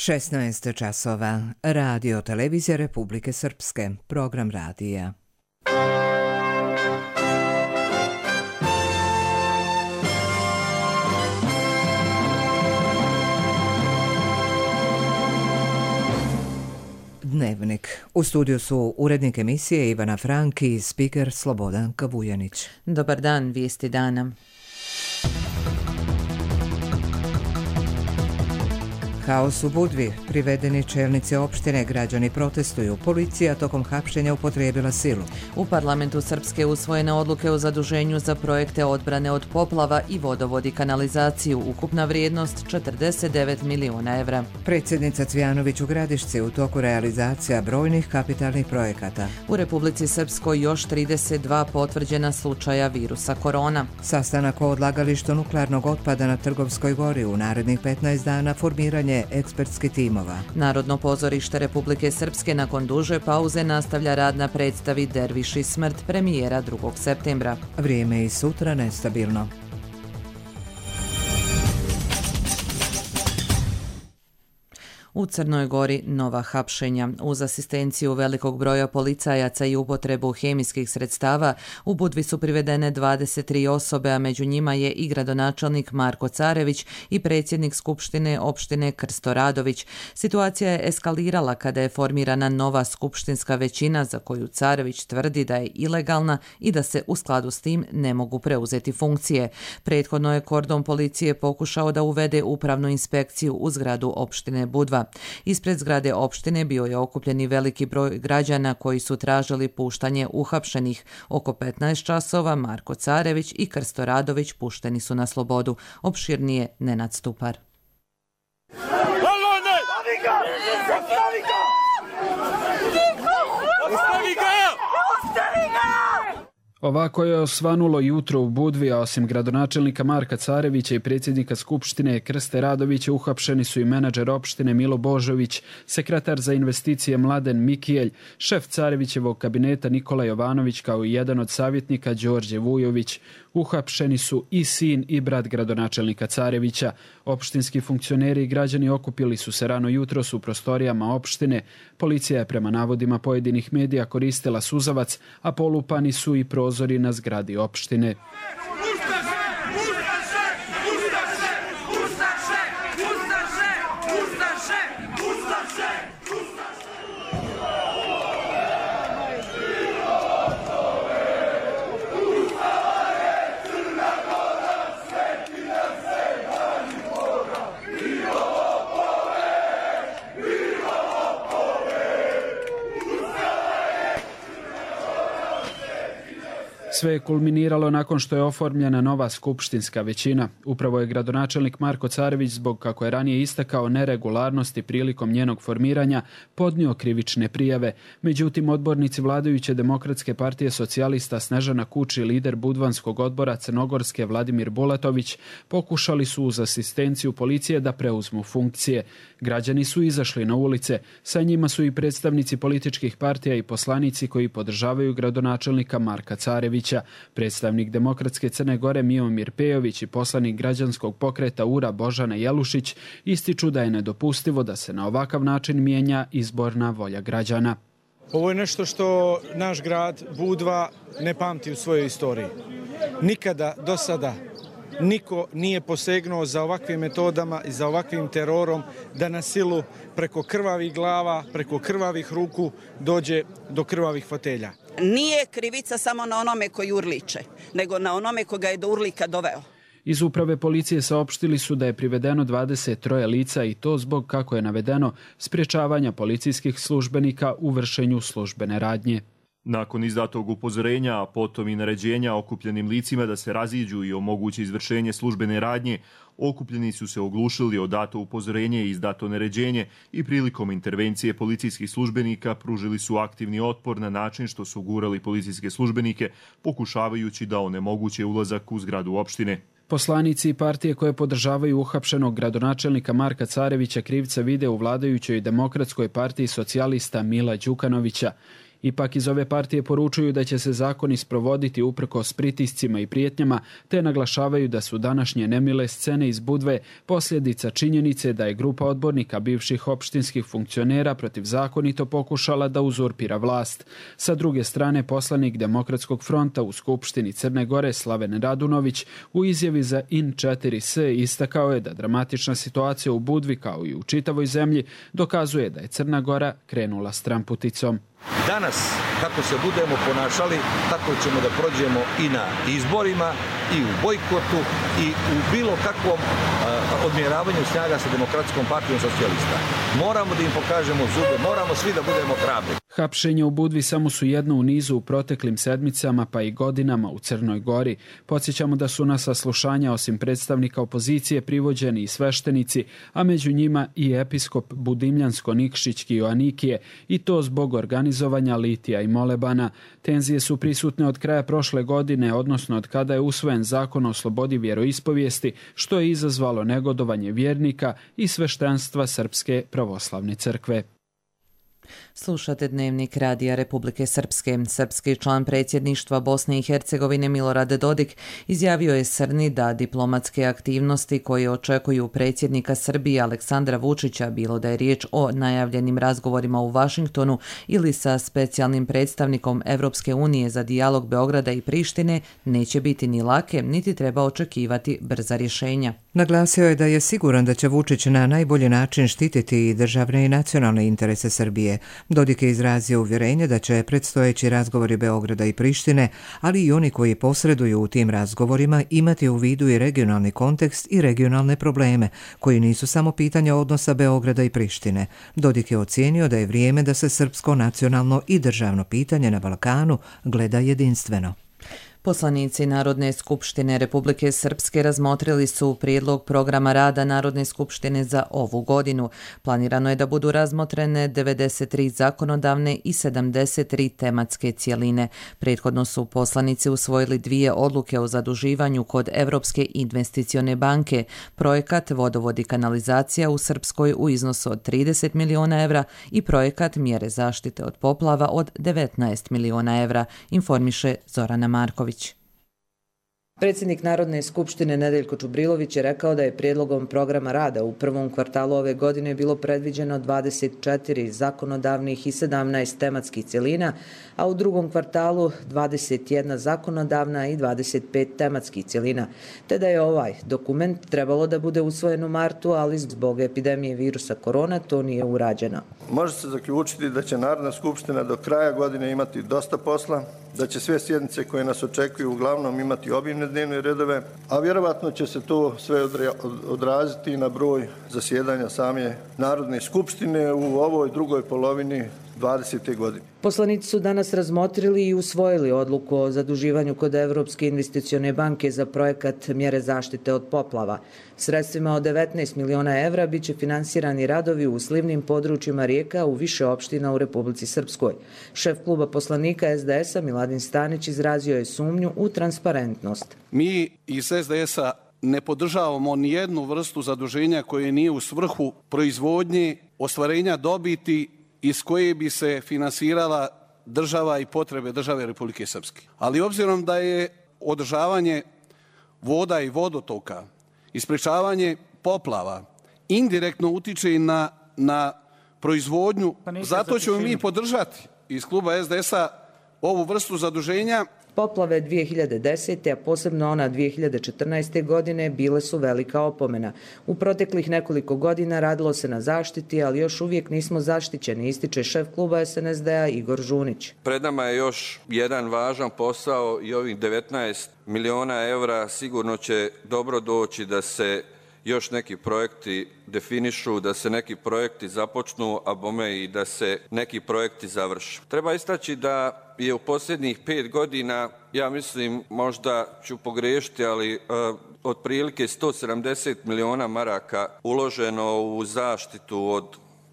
16 časova. Radio Televizija Republike Srpske. Program radija. Dnevnik. U studiju su urednik emisije Ivana Franki i spiker Slobodan Kavujanić. Dobar dan, vijesti dana. Haos u Budvi. Privedeni čelnici opštine, građani protestuju. Policija tokom hapšenja upotrijebila silu. U parlamentu Srpske usvojene odluke o zaduženju za projekte odbrane od poplava i vodovod i kanalizaciju. Ukupna vrijednost 49 miliona evra. Predsjednica Cvjanović u Gradišci u toku realizacija brojnih kapitalnih projekata. U Republici Srpskoj još 32 potvrđena slučaja virusa korona. Sastanak o odlagalištu nuklearnog otpada na Trgovskoj gori. U narednih 15 dana formiranje ekspertskih timova. Narodno pozorište Republike Srpske nakon duže pauze nastavlja rad na predstavi Derviš i smrt, premijera 2. septembra. Vrijeme i sutra nestabilno. U Crnoj Gori nova hapšenja. Uz asistenciju velikog broja policajaca i upotrebu hemijskih sredstava, u Budvi su privedene 23 osobe, a među njima je i gradonačelnik Marko Carević i predsjednik Skupštine opštine Krsto Radović. Situacija je eskalirala kada je formirana nova skupštinska većina za koju Carević tvrdi da je ilegalna i da se u skladu s tim ne mogu preuzeti funkcije. Prethodno je kordon policije pokušao da uvede upravnu inspekciju u zgradu opštine Budva. Ispred zgrade opštine bio je okupljen i veliki broj građana koji su tražili puštanje uhapšenih. Oko 15 časova Marko Carević i Krsto Radović pušteni su na slobodu. Opširnije Nenad Stupar. Ovako je osvanulo jutro u Budvi, a osim gradonačelnika Marka Carevića i predsjednika Skupštine Krste Radovića uhapšeni su i menadžer opštine Milo Božović, sekretar za investicije Mladen Mikijelj, šef Carevićevog kabineta Nikola Jovanović kao i jedan od savjetnika Đorđe Vujović. Uhapšeni su i sin i brat gradonačelnika Carevića. Opštinski funkcioneri i građani okupili su se rano jutros u prostorijama opštine. Policija je prema navodima pojedinih medija koristila suzavac, a polupani su i prozori na zgradi opštine. Sve je kulminiralo nakon što je oformljena nova skupštinska većina. Upravo je gradonačelnik Marko Carević, zbog, kako je ranije istakao, neregularnosti prilikom njenog formiranja, podnio krivične prijave. Međutim, odbornici vladajuće Demokratske partije socijalista Snežana Kuči, lider budvanskog odbora Crnogorske Vladimir Bulatović, pokušali su uz asistenciju policije da preuzmu funkcije. Građani su izašli na ulice. Sa njima su i predstavnici političkih partija i poslanici koji podržavaju gradonačelnika Marka Carevića. Predstavnik Demokratske Crne Gore Miomir Pejović i poslanik građanskog pokreta URA Božana Jelušić ističu da je nedopustivo da se na ovakav način mijenja izborna volja građana. Ovo je nešto što naš grad Budva ne pamti u svojoj istoriji. Nikada do sada niko nije posegnuo za ovakvim metodama i za ovakvim terorom da na silu preko krvavih glava, preko krvavih ruku dođe do krvavih fotelja. Nije krivica samo na onome koji urliče, nego na onome koga je do urlika doveo. Iz uprave policije saopštili su da je privedeno 23 lica i to zbog, kako je navedeno, sprječavanja policijskih službenika u vršenju službene radnje. Nakon izdatog upozorenja, a potom i naređenja okupljenim licima da se raziđu i omogući izvršenje službene radnje, okupljeni su se oglušili o dato upozorenje i izdato naređenje i prilikom intervencije policijskih službenika pružili su aktivni otpor na način što su gurali policijske službenike, pokušavajući da onemoguće ulazak u zgradu opštine. Poslanici i partije koje podržavaju uhapšenog gradonačelnika Marka Carevića krivca vide u vladajućoj Demokratskoj partiji socijalista Mila Đukanovića. Ipak iz ove partije poručuju da će se zakoni sprovoditi uprkos pritiscima i prijetnjama, te naglašavaju da su današnje nemile scene iz Budve posljedica činjenice da je grupa odbornika bivših opštinskih funkcionera protivzakonito pokušala da uzurpira vlast. Sa druge strane, poslanik Demokratskog fronta u Skupštini Crne Gore Slaven Radunović u izjavi za In4S istakao je da dramatična situacija u Budvi kao i u čitavoj zemlji dokazuje da je Crna Gora krenula stramputicom. Danas, kako se budemo ponašali, tako ćemo da prođemo i na izborima, i u bojkotu, i u bilo kakvom odmjeravanju snaga sa Demokratskom partijom socijalista. Moramo da im pokažemo zube, moramo svi da budemo hrabri. Hapšenje u Budvi samo su jedno u nizu u proteklim sedmicama pa i godinama u Crnoj Gori. Podsjećamo da su na saslušanja osim predstavnika opozicije privođeni i sveštenici, a među njima i episkop Budimljansko-Nikšićki Joanikije, i to zbog organizovanja litija i molebana. Tenzije su prisutne od kraja prošle godine, odnosno od kada je usvojen zakon o slobodi vjeroispovijesti, što je izazvalo negodovanje vjernika i sveštenstva Srpske pravoslavne crkve. Slušate Dnevnik Radija Republike Srpske. Srpski član predsjedništva Bosne i Hercegovine Milorad Dodik izjavio je Srni da diplomatske aktivnosti koje očekuju predsjednika Srbije Aleksandra Vučića, bilo da je riječ o najavljenim razgovorima u Vašingtonu ili sa specijalnim predstavnikom Evropske unije za dijalog Beograda i Prištine, neće biti ni lake, niti treba očekivati brza rješenja. Naglasio je da je siguran da će Vučić na najbolji način štititi i državne i nacionalne interese Srbije. Dodik je izrazio uvjerenje da će predstojeći razgovori Beograda i Prištine, ali i oni koji posreduju u tim razgovorima, imati u vidu i regionalni kontekst i regionalne probleme, koji nisu samo pitanja odnosa Beograda i Prištine. Dodik je ocijenio da je vrijeme da se srpsko nacionalno i državno pitanje na Balkanu gleda jedinstveno. Poslanici Narodne skupštine Republike Srpske razmotrili su prijedlog programa rada Narodne skupštine za ovu godinu. Planirano je da budu razmotrene 93 zakonodavne i 73 tematske cjeline. Prethodno su poslanici usvojili 2 odluke o zaduživanju kod Evropske investicione banke, projekat Vodovod i kanalizacija u Srpskoj u iznosu od 30 miliona evra i projekat mjere zaštite od poplava od 19 miliona evra, informiše Zorana Marković. Predsjednik Narodne skupštine Nedeljko Čubrilović je rekao da je prijedlogom programa rada u prvom kvartalu ove godine bilo predviđeno 24 zakonodavnih i 17 tematskih cjelina, a u drugom kvartalu 21 zakonodavna i 25 tematskih cjelina, te da je ovaj dokument trebalo da bude usvojen u martu, ali zbog epidemije virusa korona to nije urađeno. Može se zaključiti da će Narodna skupština do kraja godine imati dosta posla, da će sve sjednice koje nas očekuju uglavnom imati obimne dnevne redove, a vjerovatno će se to sve odraziti na broj zasjedanja same Narodne skupštine u ovoj drugoj polovini 2020. godine. Poslanici su danas razmotrili i usvojili odluku o zaduživanju kod Evropske investicione banke za projekat mjere zaštite od poplava. Sredstvima od 19 miliona evra biće finansirani radovi u slivnim područjima rijeka u više opština u Republici Srpskoj. Šef kluba poslanika SDS-a Miladin Stanić izrazio je sumnju u transparentnost. Mi iz SDS-a ne podržavamo ni jednu vrstu zaduženja koje nije u svrhu proizvodnje, ostvarenja dobiti iz koje bi se finansirala država i potrebe države Republike Srpske. Ali obzirom da je održavanje voda i vodotoka i sprečavanje poplava indirektno utiče na proizvodnju, zato ćemo mi podržati iz kluba SDS-a ovu vrstu zaduženja. Poplave 2010. a posebno ona 2014. godine bile su velika opomena. U proteklih nekoliko godina radilo se na zaštiti, ali još uvijek nismo zaštićeni, ističe šef kluba SNSD-a Igor Žunić. Pred nama je još jedan važan posao i ovih 19 miliona evra sigurno će dobro doći da se još neki projekti definišu, da se neki projekti započnu, a bome i da se neki projekti završe. Treba istaći da je u posljednjih 5 godina, ja mislim, možda ću pogriješiti, ali otprilike 170 miliona maraka uloženo u zaštitu od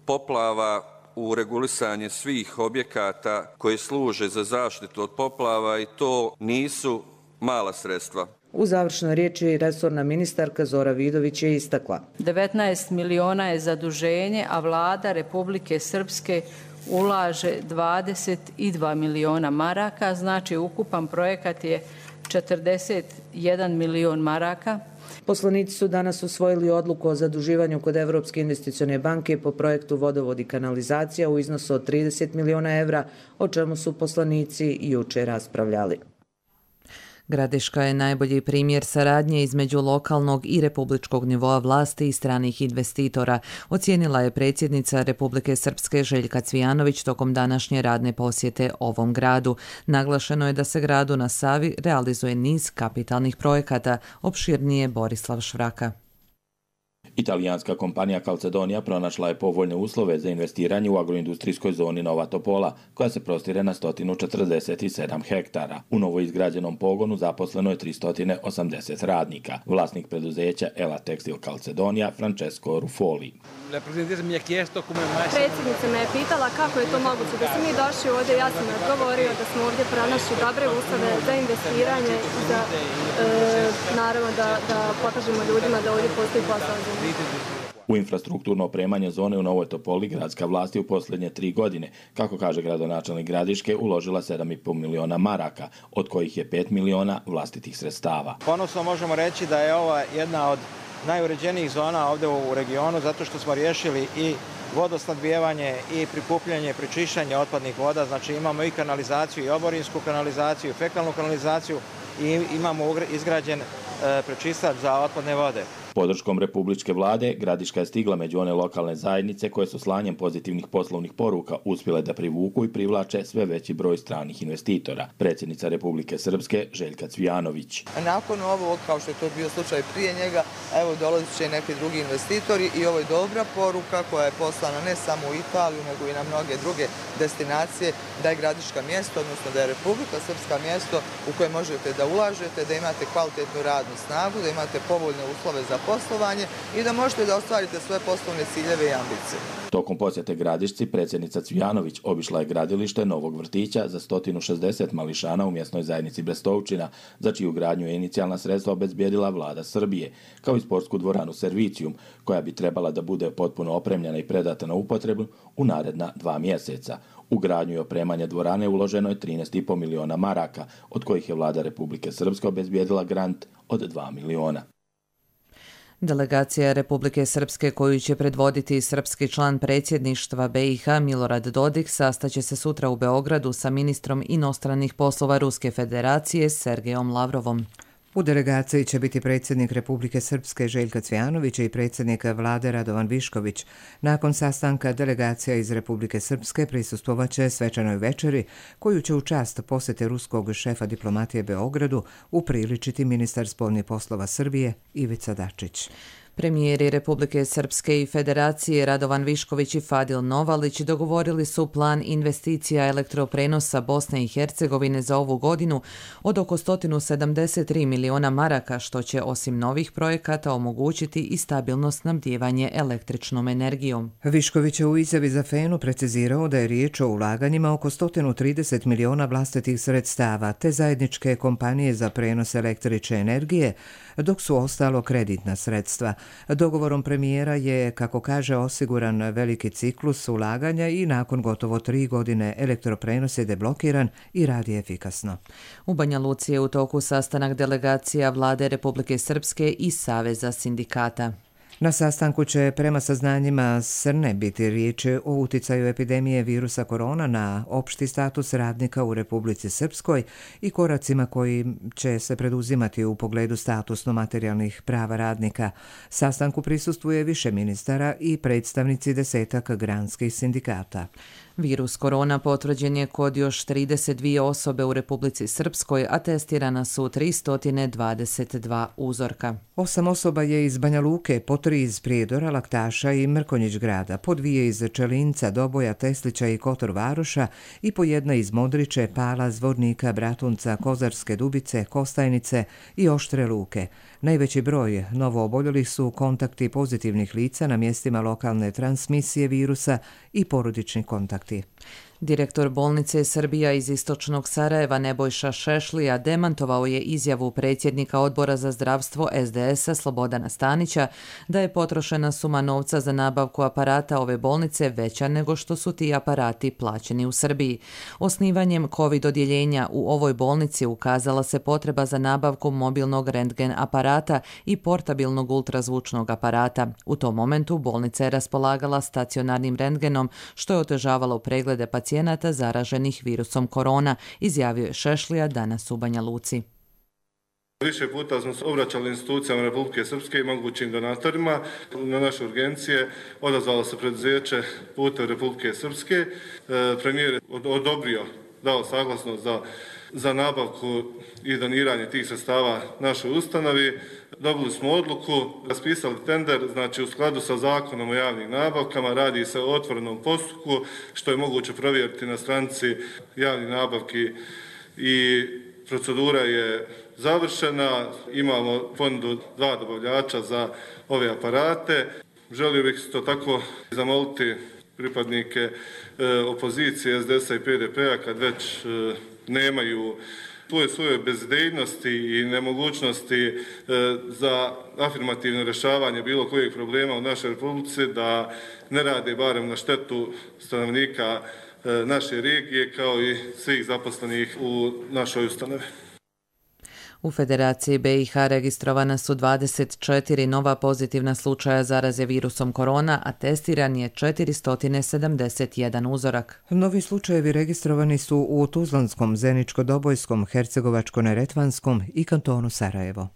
poplava, u regulisanje svih objekata koji služe za zaštitu od poplava i to nisu mala sredstva. U završnoj riječi resorna ministarka Zora Vidović je istakla. 19 miliona je zaduženje, a vlada Republike Srpske ulaže 22 miliona maraka, znači ukupan projekat je 41 milion maraka. Poslanici su danas usvojili odluku o zaduživanju kod Evropske investicione banke po projektu Vodovod i kanalizacija u iznosu od 30 miliona evra, o čemu su poslanici juče raspravljali. Gradiška je najbolji primjer saradnje između lokalnog i republičkog nivoa vlasti i stranih investitora, ocijenila je predsjednica Republike Srpske Željka Cvijanović tokom današnje radne posjete ovom gradu. Naglašeno je da se gradu na Savi realizuje niz kapitalnih projekata, opširnije Borislav Švraka. Italijanska kompanija Calzedonia pronašla je povoljne uslove za investiranje u agroindustrijskoj zoni Nova Topola, koja se prostire na 147 hektara. U novo izgrađenom pogonu zaposleno je 380 radnika. Vlasnik preduzeća Ela Textil Calzedonia, Francesco Ruffoli. Predsjednica me je pitala kako je to moguće da smo mi došli ovdje. Ja sam odgovorio da smo ovdje pronašli dobre uslove za investiranje i da naravno da pokažemo ljudima da ovdje postoji posao za njih. U infrastrukturno opremanje zone u Novoj Topoli gradska vlast je u posljednje 3 godine, kako kaže gradonačelnik Gradiške, uložila 7,5 miliona maraka, od kojih je 5 miliona vlastitih sredstava. Ponosno možemo reći da je ova jedna od najuređenijih zona ovdje u regionu, zato što smo riješili i vodosnabdijevanje i prikupljanje, prečišćanje otpadnih voda, znači imamo i kanalizaciju, i oborinsku kanalizaciju, i fekalnu kanalizaciju i imamo izgrađen prečistač za otpadne vode. Podrškom republičke vlade, Gradiška je stigla među one lokalne zajednice koje su slanjem pozitivnih poslovnih poruka uspjele da privuku i privlače sve veći broj stranih investitora. Predsjednica Republike Srpske Željka Cvijanović. Nakon ovog, kao što je to bio slučaj prije njega, evo dolazit će neki drugi investitori i ovo je dobra poruka koja je poslana ne samo u Italiju, nego i na mnoge druge destinacije, da je Gradiška mjesto, odnosno da je Republika Srpska mjesto u koje možete da ulažete, da imate kvalitetnu radnu snagu, da imate povoljne uslove za poslovanje i da možete da ostvarite svoje poslovne ciljeve i ambicije. Tokom posjete Gradišci, predsjednica Cvijanović obišla je gradilište novog vrtića za 160 mališana u mjesnoj zajednici Brestovčina, za čiju gradnju je inicijalna sredstva obezbijedila vlada Srbije, kao i sportsku dvoranu Servicium, koja bi trebala da bude potpuno opremljena i predata na upotrebu u naredna 2 mjeseca. U gradnju i opremanje dvorane uloženo je 13,5 miliona maraka, od kojih je vlada Republike Srpske obezbijedila grant od 2 miliona. Delegacija Republike Srpske koju će predvoditi srpski član predsjedništva BiH Milorad Dodik sastaće se sutra u Beogradu sa ministrom inostranih poslova Ruske federacije Sergejom Lavrovom. U delegaciji će biti predsjednik Republike Srpske Željka Cvijanović i predsjednik vlade Radovan Višković. Nakon sastanka delegacija iz Republike Srpske prisustvovaće svečanoj večeri koju će u čast posjete ruskog šefa diplomatije Beogradu upriličiti ministar spoljnih poslova Srbije Ivica Dačić. Premijeri Republike Srpske i Federacije Radovan Višković i Fadil Novalić dogovorili su plan investicija elektroprenosa Bosne i Hercegovine za ovu godinu od oko 173 miliona maraka, što će osim novih projekata omogućiti i stabilno snabdijevanje električnom energijom. Višković je u izjavi za Fenu precizirao da je riječ o ulaganjima oko 130 miliona vlastitih sredstava te zajedničke kompanije za prenos električne energije, dok su ostalo kreditna sredstva. Dogovorom premijera je, kako kaže, osiguran veliki ciklus ulaganja i nakon gotovo 3 godine elektroprenos je deblokiran i radi efikasno. U Banja Luci je u toku sastanak delegacija vlade Republike Srpske i Saveza sindikata. Na sastanku će prema saznanjima Srne biti riječ o uticaju epidemije virusa korona na opšti status radnika u Republici Srpskoj i koracima koji će se preduzimati u pogledu statusno-materijalnih prava radnika. Sastanku prisustvuje više ministara i predstavnici 10 granskih sindikata. Virus korona potvrđen je kod još 32 osobe u Republici Srpskoj, a testirana su 322 uzorka. 8 osoba je iz Banja Luke, po 3 iz Prijedora, Laktaša i Mrkonjić grada, po 2 iz Čelinca, Doboja, Teslića i Kotor Varoša i po 1 iz Modriče, Pala, Zvornika, Bratunca, Kozarske Dubice, Kostajnice i Oštre Luke. Najveći broj novooboljelih su kontakti pozitivnih lica na mjestima lokalne transmisije virusa i porodični kontakti. Direktor bolnice Srbija iz istočnog Sarajeva Nebojša Šešlija demantovao je izjavu predsjednika Odbora za zdravstvo SDS-a Slobodana Stanića da je potrošena suma novca za nabavku aparata ove bolnice veća nego što su ti aparati plaćeni u Srbiji. Osnivanjem COVID odjeljenja u ovoj bolnici ukazala se potreba za nabavku mobilnog rentgen aparata i portabilnog ultrazvučnog aparata. U tom momentu bolnica je raspolagala stacionarnim rentgenom, što je otežavalo preglede pacijenata zaraženih virusom korona, izjavio je Šešlija danas u Banja Luci. Više puta smo se obraćali institucijama Republike Srpske i mogućim donatorima. Na naše urgencije odazvalo se preduzeće Putevi Republike Srpske. Premijer je dao saglasnost za nabavku i doniranje tih sredstava našoj ustanovi. Dobili smo odluku, raspisali tender, znači u skladu sa zakonom o javnim nabavkama, radi se o otvorenom postupku, što je moguće provjeriti na stranici javnih nabavki i procedura je završena. Imamo ponudu 2 dobavljača za ove aparate. Želio bih isto tako zamoliti pripadnike opozicije SDS-a i PDP-a kad već nemaju svoje bezidejnosti i nemogućnosti za afirmativno rješavanje bilo kojeg problema u našoj Republici, da ne rade barem na štetu stanovnika naše regije kao i svih zaposlenih u našoj ustanovi. U Federaciji BiH registrovana su 24 nova pozitivna slučaja zaraze virusom korona, a testiran je 471 uzorak. Novi slučajevi registrovani su u Tuzlanskom, Zeničko-Dobojskom, Hercegovačko-Neretvanskom i kantonu Sarajevo.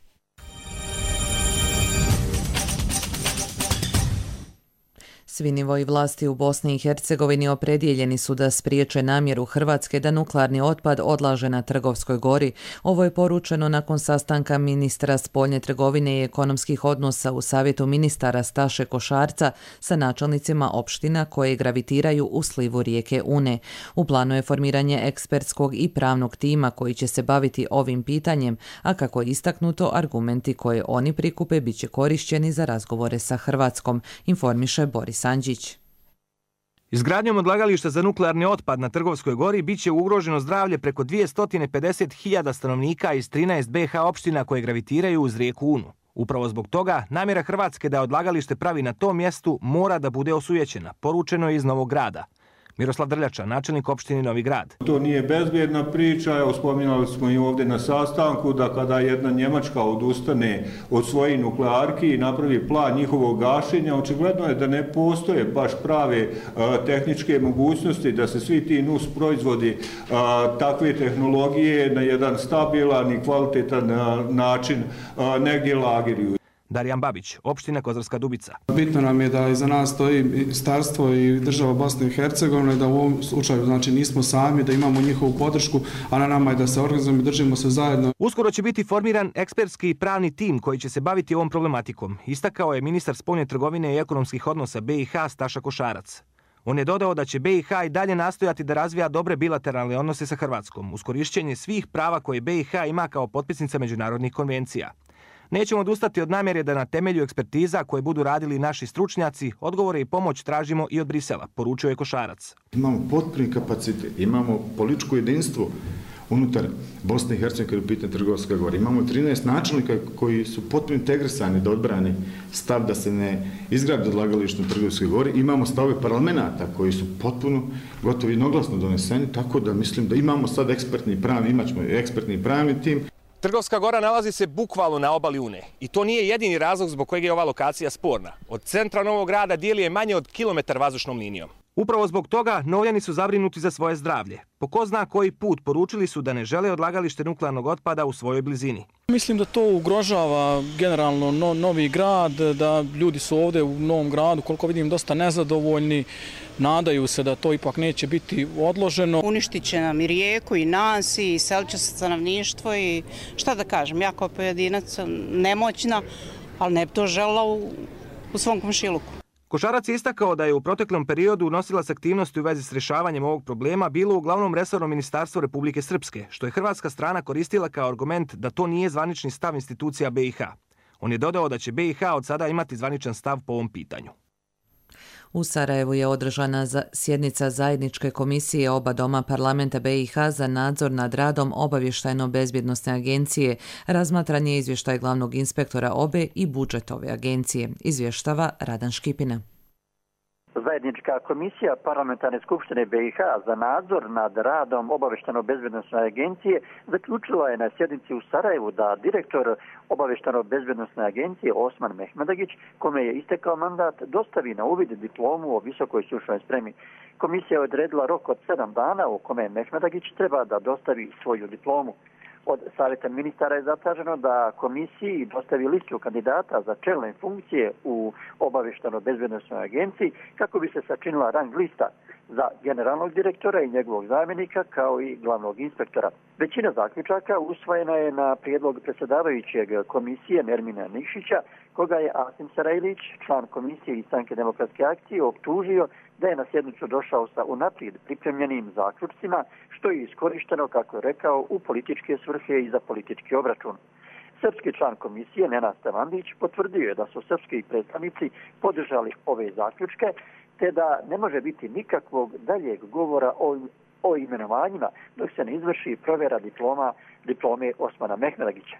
Svi nivoji vlasti u Bosni i Hercegovini opredjeljeni su da spriječe namjeru Hrvatske da nuklearni otpad odlaže na Trgovskoj gori. Ovo je poručeno nakon sastanka ministra spoljne trgovine i ekonomskih odnosa u Savjetu ministara Staše Košarca sa načelnicima opština koje gravitiraju u slivu rijeke Une. U planu je formiranje ekspertskog i pravnog tima koji će se baviti ovim pitanjem, a kako je istaknuto, argumenti koje oni prikupe bit će korišćeni za razgovore sa Hrvatskom, informiše Boris Sanđić. Izgradnjom odlagališta za nuklearni otpad na Trgovskoj gori biće ugroženo zdravlje preko 250.000 stanovnika iz 13 BiH opština koje gravitiraju uz rijeku Unu. Upravo zbog toga namjera Hrvatske da odlagalište pravi na tom mjestu mora da bude osujećena, poručeno je iz Novog Grada. Miroslav Drljača, načelnik opštine Novi Grad. To nije bezbjedna priča, evo spominjali smo i ovdje na sastanku da kada jedna Njemačka odustane od svojih nuklearki i napravi plan njihovog gašenja, očigledno je da ne postoje baš prave tehničke mogućnosti da se svi ti nus proizvodi takve tehnologije na jedan stabilan i kvalitetan način negdje lagiruju. Darijan Babić, opština Kozarska Dubica. Bitno nam je da iza nas stoji ministarstvo i država Bosne i Hercegovine, da u ovom slučaju znači nismo sami, da imamo njihovu podršku, a na nama je da se organizujemo i držimo se zajedno. Uskoro će biti formiran ekspertski i pravni tim koji će se baviti ovom problematikom, istakao je ministar spoljne trgovine i ekonomskih odnosa BiH Staša Košarac. On je dodao da će BiH i dalje nastojati da razvija dobre bilateralne odnose sa Hrvatskom, uz korišćenje svih prava koje BiH ima kao potpisnica međunarodnih konvencija. Nećemo odustati od namjere da na temelju ekspertiza koje budu radili naši stručnjaci, odgovore i pomoć tražimo i od Brisela, poručio je Košarac. Imamo potpuni kapacitet, imamo političko jedinstvo unutar Bosne i Hercegovine u pitanju Trgovska gora. Imamo 13 načelnika koji su potpuno integrisani da odbrani stav da se ne izgradi odlagalište na Trgovskoj gori. Imamo stavove parlamenta koji su potpuno gotovo jednoglasno doneseni, tako da mislim da imamo sad imaćemo ekspertni pravni tim. Trgovska gora nalazi se bukvalno na obali Une i to nije jedini razlog zbog kojeg je ova lokacija sporna. Od centra Novog Grada dijeli je manje od kilometar vazdušnom linijom. Upravo zbog toga Novljani su zabrinuti za svoje zdravlje. Po ko zna koji put poručili su da ne žele odlagalište nuklearnog otpada u svojoj blizini. Mislim da to ugrožava generalno Novi Grad, da ljudi su ovdje u Novom Gradu, koliko vidim, dosta nezadovoljni. Nadaju se da to ipak neće biti odloženo. Uništit će nam i rijeku i nas i selit će se stanovništvo i šta da kažem, ja kao pojedinac nemoćna, ali ne bi to želela u svom komšiluku. Košarac je istakao da je u proteklom periodu nosilac aktivnosti u vezi s rješavanjem ovog problema bilo uglavnom resorno ministarstvo Republike Srpske, što je hrvatska strana koristila kao argument da to nije zvanični stav institucija BiH. On je dodao da će BiH od sada imati zvaničan stav po ovom pitanju. U Sarajevu je održana sjednica zajedničke komisije oba doma parlamenta BiH za nadzor nad radom obavještajno-bezbjednosne agencije. Razmatran je izvještaj glavnog inspektora obe i budžet ove agencije, izvještava Radan Škipina. Zajednička komisija Parlamentarne skupštine BiH za nadzor nad radom obavještajno-bezbjednosne agencije zaključila je na sjednici u Sarajevu da direktor obavještajno-bezbjednosne agencije Osman Mehmedagić, kome je istekao mandat, dostavi na uvid diplomu o visokoj stručnoj spremi. Komisija je odredila rok od 7 dana u kome Mehmedagić treba da dostavi svoju diplomu. Od Savjeta ministara je zatraženo da komisiji dostavi listu kandidata za čelne funkcije u obavještajno-bezbjednosnoj agenciji kako bi se sačinila rang lista za generalnog direktora i njegovog zamjenika kao i glavnog inspektora. Većina zaključaka usvojena je na prijedlog predsjedavajućeg komisije Nermina Nikšića, koga je Asim Sarajlić, član komisije i Stranke demokratske akcije, optužio da je na sjednicu došao sa unaprijed pripremljenim zaključcima, što je iskorišteno, kako je rekao, u političke svrhe i za politički obračun. Srpski član komisije Nenad Stevandić potvrdio je da su srpski predstavnici podržali ove zaključke, te da ne može biti nikakvog daljeg govora o imenovanjima dok se ne izvrši provjera diplome Osmana Mehmedagića.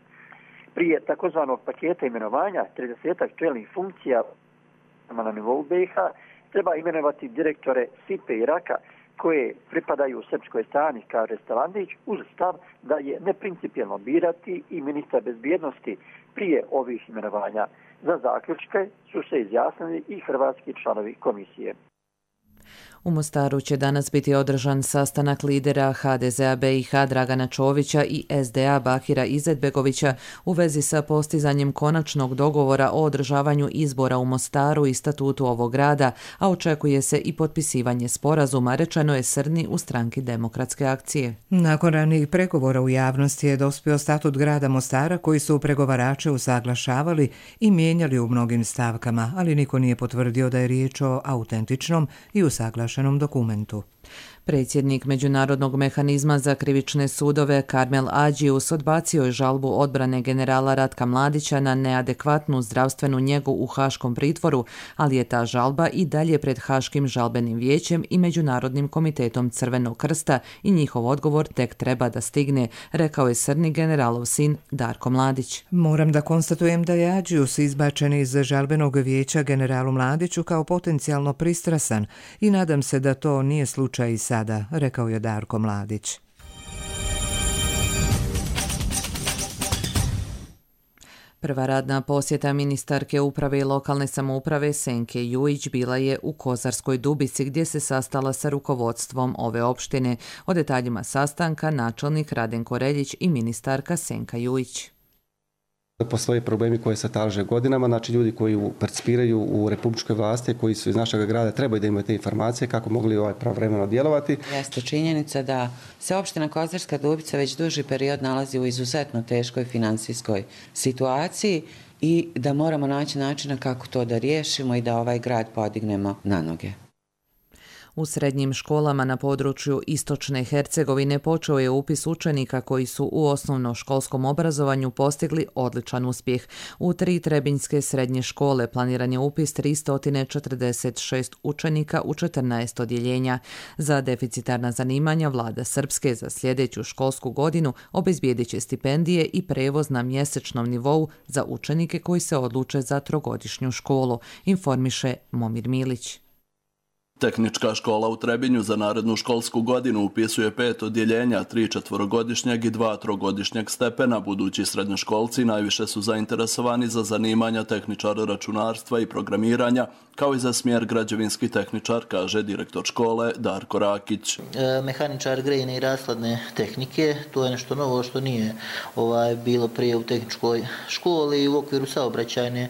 Prije takozvanog paketa imenovanja 30 čelnih funkcija na nivou BiH treba imenovati direktore SIPE i RAKA koje pripadaju srpskoj strani, kaže Stevandić, uz stav da je neprincipijelno birati i ministra bezbjednosti prije ovih imenovanja. Za zaključke su se izjasnili i hrvatski članovi komisije. U Mostaru će danas biti održan sastanak lidera HDZ-a BiH Dragana Čovića i SDA Bakira Izetbegovića u vezi sa postizanjem konačnog dogovora o održavanju izbora u Mostaru i statutu ovog grada, a očekuje se i potpisivanje sporazuma, rečeno je Srni u Stranki demokratske akcije. Nakon ranijih pregovora u javnosti je dospio statut grada Mostara koji su pregovarače usaglašavali i mijenjali u mnogim stavkama, ali niko nije potvrdio da je riječ o autentičnom i usaglašenom dokumentu. Predsjednik Međunarodnog mehanizma za krivične sudove Karmel Adžius odbacio je žalbu odbrane generala Ratka Mladića na neadekvatnu zdravstvenu njegu u Haškom pritvoru, ali je ta žalba i dalje pred Haškim žalbenim vijećem i Međunarodnim komitetom Crvenog krsta i njihov odgovor tek treba da stigne, rekao je Srni generalov sin Darko Mladić. Moram da konstatujem da je Adžius izbačen iz žalbenog vijeća generalu Mladiću kao potencijalno pristrasan i nadam se da to nije slučaj i sada, rekao je Darko Mladić. Prva radna posjeta ministarke uprave i lokalne samouprave Senke Jujić bila je u Kozarskoj Dubici gdje se sastala sa rukovodstvom ove opštine. O detaljima sastanka načelnik Radenko Reljić i ministarka Senka Jujić. Postoje problemi koje se talože godinama, znači ljudi koji participiraju u republičkoj vlasti, koji su iz našeg grada, trebaju da imaju te informacije kako mogli pravovremeno djelovati. Jeste činjenica da se opština Kozarska Dubica već duži period nalazi u izuzetno teškoj financijskoj situaciji i da moramo naći načina kako to da riješimo i da ovaj grad podignemo na noge. U srednjim školama na području Istočne Hercegovine počeo je upis učenika koji su u osnovnoškolskom obrazovanju postigli odličan uspjeh. U 3 trebinjske srednje škole planiran je upis 346 učenika u 14 odjeljenja. Za deficitarna zanimanja vlada Srpske za sljedeću školsku godinu obezbijedit će stipendije i prevoz na mjesečnom nivou za učenike koji se odluče za 3-godišnju školu, informiše Momir Milić. Tehnička škola u Trebinju za narednu školsku godinu upisuje 5 odjeljenja, 3 četvorogodišnjeg i 2 trogodišnjeg stepena. Budući srednjoškolci najviše su zainteresovani za zanimanja tehničara računarstva i programiranja, kao i za smjer građevinski tehničar, kaže direktor škole Darko Rakić. Mehaničar grejne i rashladne tehnike, to je nešto novo što nije bilo prije u tehničkoj školi. U okviru saobraćajne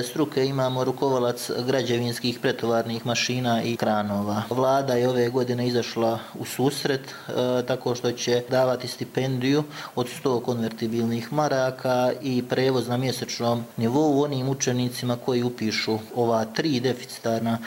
struke imamo rukovalac građevinskih pretovarnih mašina i kranova. Vlada je ove godine izašla u susret tako što će davati stipendiju od 100 konvertibilnih maraka i prevoz na mjesečnom nivou onim učenicima koji upišu ova 3 deficitarna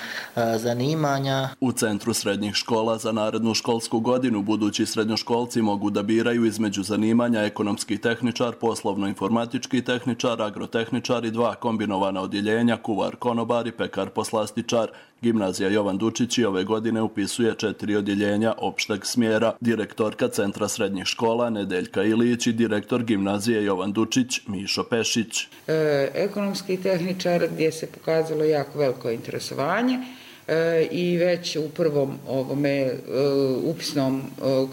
zanimanja. U Centru srednjih škola za narednu školsku godinu budući srednjoškolci mogu da biraju između zanimanja ekonomski tehničar, poslovno-informatički tehničar, agrotehničar i 2 kombinovana odjeljenja, kuvar konobar i pekar poslastičar. Gimnazija Jovan Dučić i ove godine upisuje 4 odjeljenja opšteg smjera. Direktorka Centra srednjih škola Nedeljka Ilić i direktor Gimnazije Jovan Dučić Mišo Pešić. Ekonomski tehničar gdje se pokazalo jako veliko interesovanje i već u prvom upisnom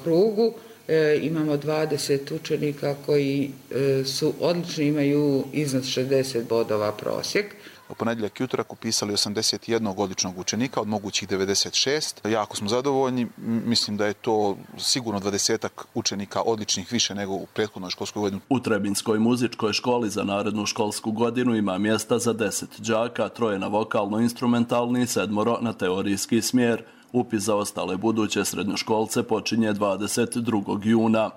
krugu imamo 20 učenika koji su odlični, imaju iznad 60 bodova prosjek. U ponedjeljak i utorak upisali 81 odličnog učenika od mogućih 96. Jako smo zadovoljni, mislim da je to sigurno 20 učenika odličnih više nego u prethodnoj školskoj godini. U Trebinskoj muzičkoj školi za narednu školsku godinu ima mjesta za 10 đaka, 3 na vokalno-instrumentalni i 7 na teorijski smjer. Upis za ostale buduće srednjoškolce počinje 22. juna.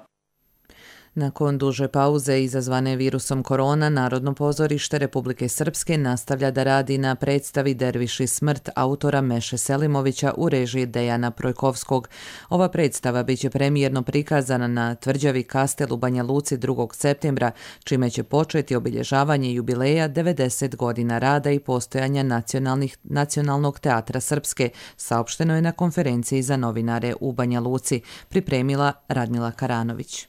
Nakon duže pauze izazvane virusom korona, Narodno pozorište Republike Srpske nastavlja da radi na predstavi Derviš i smrt autora Meše Selimovića u režiji Dejana Projkovskog. Ova predstava biće premijerno prikazana na Tvrđavi Kastel u Banja Luci 2. septembra, čime će početi obilježavanje jubileja 90 godina rada i postojanja Nacionalnog teatra Srpske, saopšteno je na konferenciji za novinare u Banja Luci, pripremila Radmila Karanović.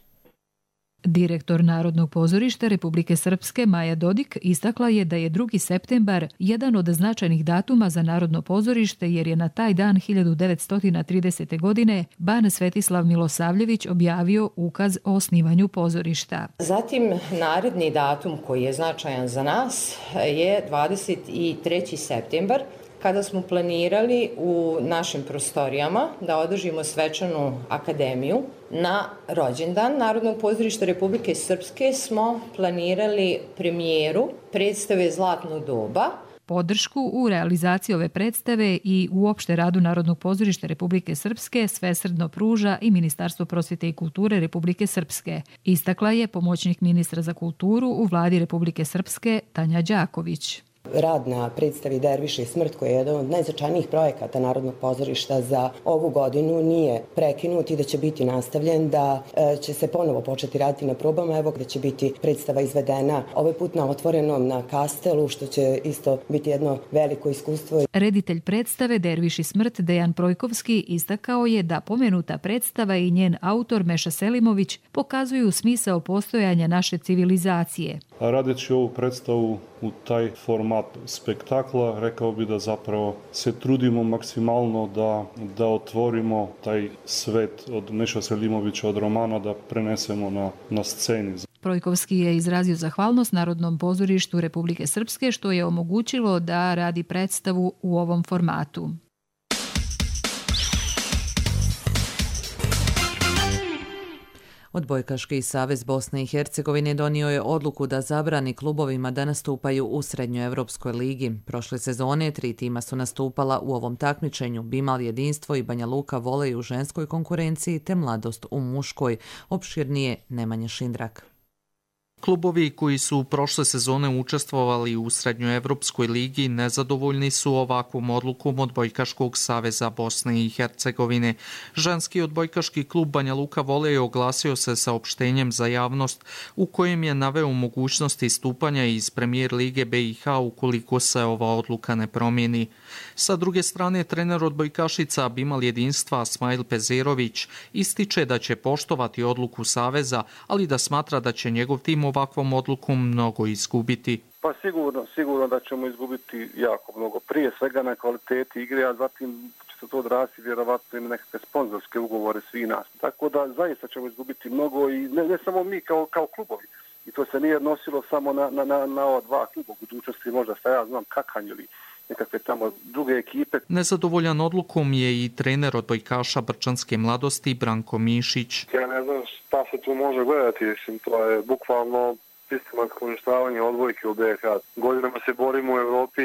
Direktor Narodnog pozorišta Republike Srpske Maja Dodik istakla je da je 2. septembar jedan od značajnih datuma za Narodno pozorište jer je na taj dan 1930. godine ban Svetislav Milosavljević objavio ukaz o osnivanju pozorišta. Zatim naredni datum koji je značajan za nas je 23. septembar kada smo planirali u našim prostorijama da održimo svečanu akademiju. Na rođendan Narodnog pozorišta Republike Srpske smo planirali premijeru predstave Zlatno doba. Podršku u realizaciji ove predstave i uopšte radu Narodnog pozorišta Republike Srpske svesrdno pruža i Ministarstvo prosvjete i kulture Republike Srpske. Istakla je pomoćnik ministra za kulturu u vladi Republike Srpske Tanja Đaković. Rad na predstavi Derviš i smrt, koji je jedan od najznačajnijih projekata Narodnog pozorišta za ovu godinu, nije prekinut i da će biti nastavljen, da će se ponovo početi raditi na probama, evo gdje će biti predstava izvedena ovaj put na otvorenom na Kastelu, što će isto biti jedno veliko iskustvo. Reditelj predstave Derviš i smrt Dejan Projkovski istakao je da pomenuta predstava i njen autor Meša Selimović pokazuju smisao postojanja naše civilizacije. Radeći ovu predstavu u taj format spektakla, rekao bi da zapravo se trudimo maksimalno da otvorimo taj svet od Meša Selimovića, od romana, da prenesemo na sceni. Projkovski je izrazio zahvalnost Narodnom pozorištu Republike Srpske što je omogućilo da radi predstavu u ovom formatu. Odbojkaški savez Bosne i Hercegovine donio je odluku da zabrani klubovima da nastupaju u Srednjoevropskoj ligi. Prošle sezone 3 tima su nastupala u ovom takmičenju: Bimal Jedinstvo i Banja Luka Volej u ženskoj konkurenciji te Mladost u muškoj. Opširnije Nemanja Šindrak. Klubovi koji su prošle sezone učestvovali u Srednjoevropskoj ligi nezadovoljni su ovakvom odlukom Odbojkaškog saveza Bosne i Hercegovine. Ženski odbojkaški klub Banja Luka Volej oglasio se saopštenjem za javnost u kojem je naveo mogućnosti istupanja iz Premijer lige BiH ukoliko se ova odluka ne promijeni. Sa druge strane, trener odbojkašica Bimal Jedinstva Smajl Pezerović ističe da će poštovati odluku saveza, ali da smatra da će njegov tim ovakvom odlukom mnogo izgubiti. Pa sigurno da ćemo izgubiti jako mnogo. Prije svega na kvaliteti igre, a zatim će se to odrasti vjerovatno i nekakve sponzorske ugovore svi nas. Tako da zaista ćemo izgubiti mnogo i ne samo mi kao klubovi. I to se nije odnosilo samo na ova 2 kluba. U budućnosti možda šta ja znam Kakanj ili nekakve tamo druge ekipe. Nezadovoljan odlukom je i trener odbojkaša Brčanske Mladosti Branko Mišić. Ja ne znam šta se tu može gledati, mislim, to je bukvalno sistematsko uništavanje odbojke u BiH. Godinama se borimo u Evropi,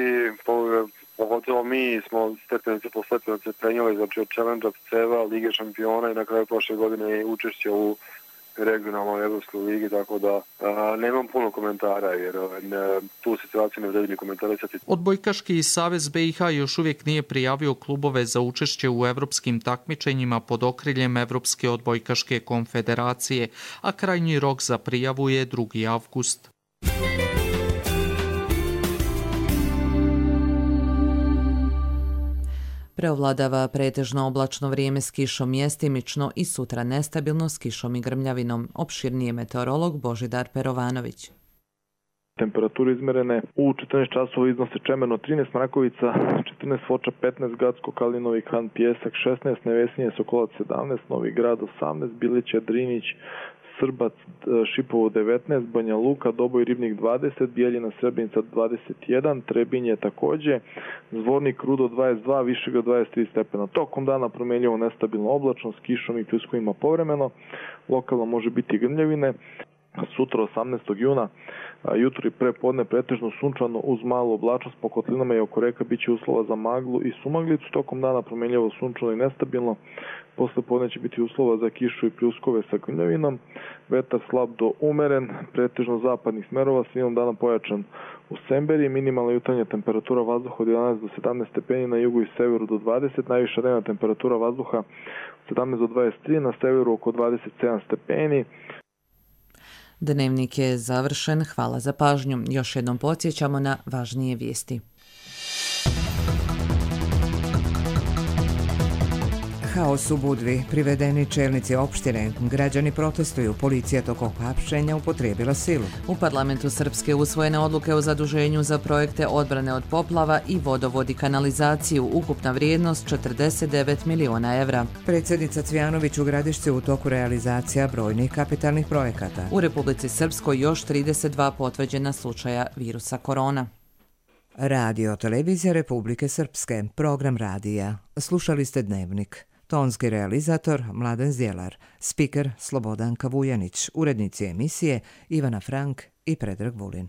pogotovo mi smo stepenice po stepenice penjali, znači od Challenge-a, CEVA, Lige šampiona i na kraju prošle godine učešće u regionalnoj Evropskoj ligi, tako da nemam puno komentara jer tu situaciju ne vredi ni komentarisati. Odbojkaški savez BiH još uvijek nije prijavio klubove za učešće u evropskim takmičenjima pod okriljem Evropske odbojkaške konfederacije, a krajnji rok za prijavu je 2. avgust. Preovladava pretežno oblačno vrijeme s kišom mjestimično i sutra nestabilno s kišom i grmljavinom. Opširnije meteorolog Božidar Perovanović. Temperature izmerene u 14 časova iznose Čemerno 13, Mrakovica 14, Foča 15, Gacko, Kalinovi Han, Pjesak 16, Nevesinje, Sokolac 17, Novi Grad 18, Bilića, Drinić, Srbac, Šipovo 19, Banja Luka, Doboj, Ribnik 20, Bijeljina, Srebrenica 21, Trebinje također, Zvornik, Rudo 22, Višega 23 stepena. Tokom dana promjenjivo nestabilno oblačno s kišom i pljuskovima povremeno, lokalno može biti grmljavine. Sutra 18. juna jutro i prepodne pretežno sunčano uz malu oblačnost po kotlinama i oko reka biće uslova za maglu i sumaglicu. Tokom dana promjenjivo sunčano i nestabilno. Posle podne će biti uslova za kišu i pljuskove sa grmljavinom. Vetar slab do umeren, pretežno zapadnih smerova, sredom dana pojačan u Semberi. Minimalna jutarnja temperatura vazduha od 11 do 17 stepeni, na jugu i severu do 20, najviša dnevna temperatura vazduha 17 do 23, na severu oko 27 stepeni. Dnevnik je završen, hvala za pažnju. Još jednom podsjećamo na važnije vijesti. Haos u Budvi, privedeni čelnici opštine, građani protestuju, policija tokom hapšenja upotrijebila silu. U parlamentu Srpske usvojene odluke o zaduženju za projekte odbrane od poplava i vodovod i kanalizaciju, ukupna vrijednost 49 miliona evra. Predsjednica Cvjanović u Gradišci u toku realizacija brojnih kapitalnih projekata. U Republici Srpskoj još 32 potvrđena slučaja virusa korona. Radio Televizija Republike Srpske, program radija. Slušali ste Dnevnik. Tonski realizator Mladen Zdjelar, spiker Slobodanka Vujanić, urednici emisije Ivana Frank i Predrag Vulin.